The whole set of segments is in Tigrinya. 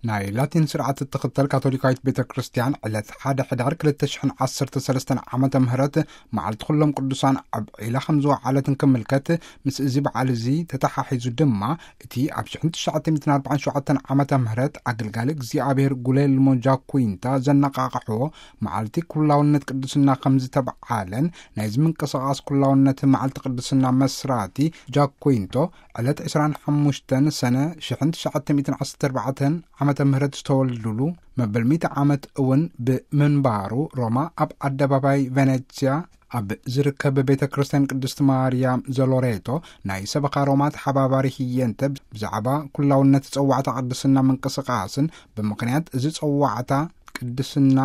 ናይ ላቲን ስርዓት እትኽተል ካቶሊካዊት ቤተ ክርስቲያን ዕለት ሓደ ሕዳር ክልተ ሽሕን ዓሰርተ ሰለስተን ዓመተ ምህረት መዓልቲ ኩሎም ቅዱሳን ኣብ ዒላ ከም ዝወዓለትን ክምልከት፣ ምስ እዚ በዓል እዚ ተተሓሒዙ ድማ እቲ ኣብ ሽሕን ትሽዓተ ሚእትን ኣርባዓን ሸውዓተን ዓመተ ምህረት ኣገልጋሊ እግዚኣብሔር ጉሌልሞ ጃኩዊንታ ዘነቓቕሕዎ መዓልቲ ኩላውነት ቅድስና ከም ዝተብዓለን፣ ናይዚ ምንቅስቓስ ኩላውነት መዓልቲ ቅድስና መስራቲ ጃኩዊንቶ ዕለት ዕስራን ሓሙሽተን ሰነ ሽሕን ትሽዓተ ሚእትን ዓሰርተ ኣርባዕተን ዓመተ ምህረት ዝተወልዱሉ መበል ሚእቲ ዓመት እውን ብምንባሩ፣ ሮማ ኣብ ኣደባባይ ቬኔትስያ ኣብ ዝርከብ ቤተ ክርስቲያን ቅድስት ማርያም ዘሎሬቶ ናይ ሰበኻ ሮማ ተሓባባሪ ህየንተ ብዛዕባ ኩላውነት ጸዋዕታ ቅድስና ምንቅስቓስን፣ ብምኽንያት እዚ ጸዋዕታ ቅድስና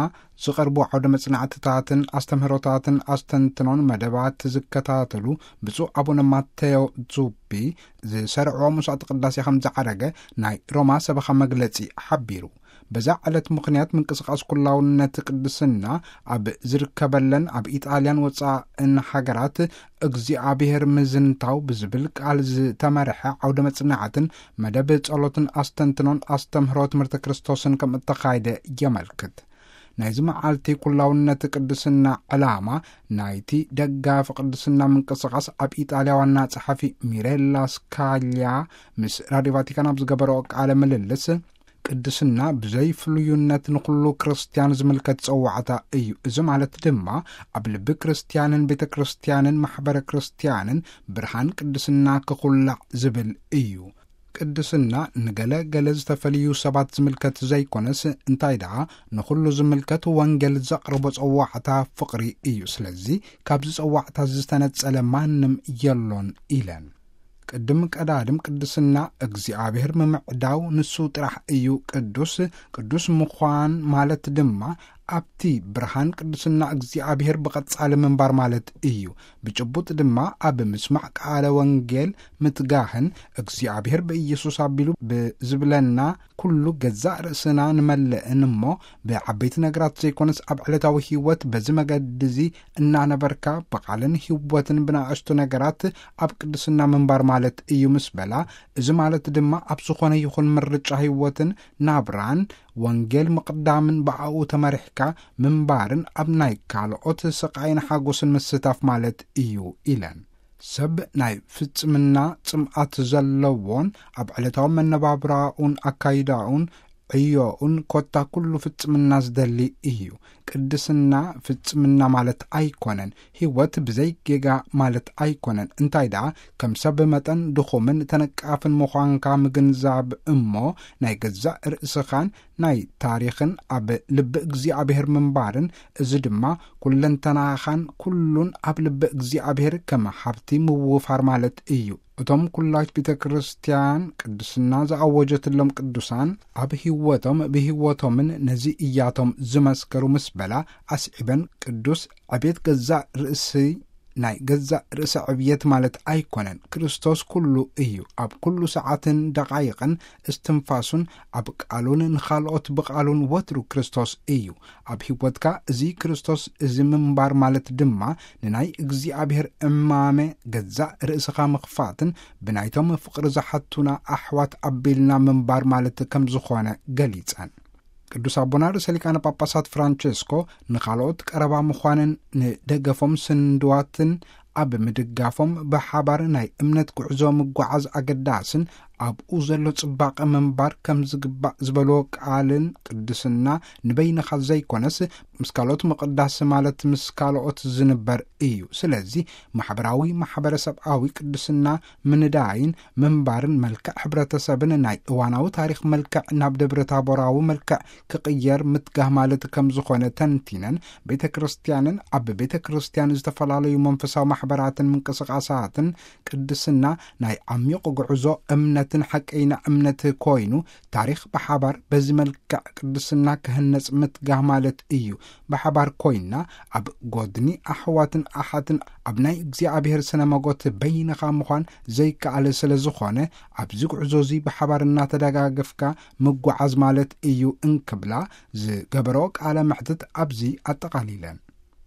ዝቐርቡ ዓውደ መጽናዕትታትን ኣስተምህሮታትን ኣስተንትኖን መደባት ዝከታተሉ ብፁዕ ኣቡነ ማቴዮ ዙቢ ዝሰርዕዎ መስዋዕቲ ቅዳሴ ከም ዝዓረገ ናይ ሮማ ሰበኻ መግለጺ ሓቢሩ። በዛ ዕለት ምኽንያት ምንቅስቓስ ኩላውነት ቅድስና ኣብ ዝርከበለን ኣብ ኢጣልያን ወጻእን ሃገራት እግዚኣብሔር ምዝንታው ብዝብል ቃል ዝተመርሐ ዓውደ መጽናዕትን መደብ ጸሎትን ኣስተንትኖን ኣስተምህሮ ትምህርቲ ክርስቶስን ከም እተኻየደ የመልክት። ናይዚ መዓልቲ ኩላውነት ቅድስና ዕላማ ናይቲ ደጋፊ ቅድስና ምንቅስቓስ ኣብ ኢጣልያ ዋና ጸሓፊ ሚሬላ ስካልያ ምስ ራድዮ ቫቲካን ኣብ ዝገበረኦ ቃለ ምልልስ፣ ቅድስና ብዘይ ፍሉይነት ንኹሉ ክርስትያን ዝምልከት ጸዋዕታ እዩ። እዚ ማለት ድማ ኣብ ልቢ ክርስትያንን ቤተ ክርስትያንን ማሕበረ ክርስትያንን ብርሃን ቅድስና ክኹላዕ ዝብል እዩ። ቅድስና ንገለ ገለ ዝተፈልዩ ሰባት ዝምልከት ዘይኮነስ፣ እንታይ ደኣ ንኹሉ ዝምልከት ወንጌል ዘቕርቦ ጸዋዕታ ፍቕሪ እዩ። ስለዚ ካብዚ ጸዋዕታ ዝተነጸለ ማንም የሎን ኢለን። ቅድም ቀዳድም ቅድስና እግዚኣብሔር ምምዕዳው ንሱ ጥራሕ እዩ ቅዱስ። ቅዱስ ምዃን ማለት ድማ ኣብቲ ብርሃን ቅድስና እግዚኣብሔር ብቐጻሊ ምንባር ማለት እዩ። ብጭቡጥ ድማ ኣብ ምስማዕ ቃለ ወንጌል ምትጋህን እግዚኣብሔር ብኢየሱስ ኣቢሉ ብዝብለና ኩሉ ገዛእ ርእስና ንመልእን እሞ ብዓበይቲ ነገራት ዘይኮነስ ኣብ ዕለታዊ ህይወት በዚ መገዲ እዚ እናነበርካ ብቓልን ህይወትን ብናእሽቱ ነገራት ኣብ ቅድስና ምንባር ማለት እዩ ምስ በላ፣ እዚ ማለት ድማ ኣብ ዝኾነ ይኹን ምርጫ ህይወትን ናብራን ወንጌል ምቕዳምን ብኣኡ ተመሪሕካ ምንባርን ኣብ ናይ ካልኦት ስቓይን ሓጎስን ምስታፍ ማለት እዩ ኢለን። ሰብ ናይ ፍጽምና ጽምኣት ዘለዎን ኣብ ዕለታዊ መነባብራኡን ኣካይዳኡን ዕዮኡን ኮታ ኩሉ ፍጽምና ዝደሊ እዩ። ቅድስና ፍጽምና ማለት ኣይኮነን። ህይወት ብዘይ ጌጋ ማለት ኣይኮነን። እንታይ ደኣ ከም ሰብ መጠን ድኹምን ተነቃፍን ምዃንካ ምግንዛብ እሞ ናይ ገዛእ ርእስኻን ናይ ታሪኽን ኣብ ልቢ እግዚኣብሔር ምንባርን፣ እዚ ድማ ኩለንተናኻን ኩሉን ኣብ ልቢ እግዚኣብሔር ከም ሃብቲ ምውፋር ማለት እዩ። እቶም ኩላዊት ቤተ ክርስቲያን ቅድስና ዝኣወጀትሎም ቅዱሳን ኣብ ህይወቶም ብህይወቶምን ነዚ እያቶም ዝመስከሩ ምስ በላ ኣስዒበን፣ ቅዱስ ዕቤት ገዛእ ርእሲ ናይ ገዛእ ርእሲ ዕብየት ማለት ኣይኮነን። ክርስቶስ ኩሉ እዩ። ኣብ ኩሉ ሰዓትን ደቓይቕን እስትንፋሱን ኣብ ቃሉን ንኻልኦት ብቓሉን ወትሩ ክርስቶስ እዩ። ኣብ ህይወትካ እዚ ክርስቶስ እዚ ምንባር ማለት ድማ ንናይ እግዚኣብሔር እማመ ገዛእ ርእስኻ ምኽፋትን ብናይቶም ፍቕሪ ዝሓቱና ኣሕዋት ኣቢልና ምንባር ማለት ከም ዝኾነ ገሊጸን። ቅዱስ ኣቦና ርእሰ ሊቃነ ጳጳሳት ፍራንቸስኮ ንኻልኦት ቀረባ ምዃንን ንደገፎም ስንድዋትን ኣብ ምድጋፎም ብሓባር ናይ እምነት ጉዕዞ ምጓዓዝ ኣገዳስን ኣብኡ ዘሎ ጽባቐ ምንባር ከም ዝግባእ ዝበልዎ ቃልን ቅድስና ንበይንኻ ዘይኮነስ ምስ ካልኦት ምቕዳስ ማለት ምስ ካልኦት ዝንበር እዩ። ስለዚ ማሕበራዊ ማሕበረሰብኣዊ ቅድስና ምንዳይን ምንባርን መልክዕ ሕብረተሰብን ናይ እዋናዊ ታሪኽ መልክዕ ናብ ደብረ ታቦራዊ መልክዕ ክቕየር ምትጋህ ማለት ከም ዝኾነ ተንቲነን፣ ቤተ ክርስቲያንን ኣብ ቤተ ክርስቲያን ዝተፈላለዩ መንፈሳዊ ማሕበራትን ምንቅስቓሳትን ቅድስና ናይ ዓሚቕ ጉዕዞ እምነትን ሓቀይና እምነት ኮይኑ ታሪኽ ብሓባር በዚ መልክዕ ቅድስና ክህነጽ ምትጋህ ማለት እዩ። ብሓባር ኮይንና ኣብ ጎድኒ ኣሕዋትን ኣሓትን ኣብ ናይ እግዚኣብሔር ስነ መጎት በይንኻ ምዃን ዘይከኣል ስለ ዝኾነ ኣብዚ ጉዕዞ እዚ ብሓባር እናተደጋገፍካ ምጓዓዝ ማለት እዩ እንክብላ ዝገበረኦ ቃለ መሕትት ኣብዚ ኣጠቓሊለን።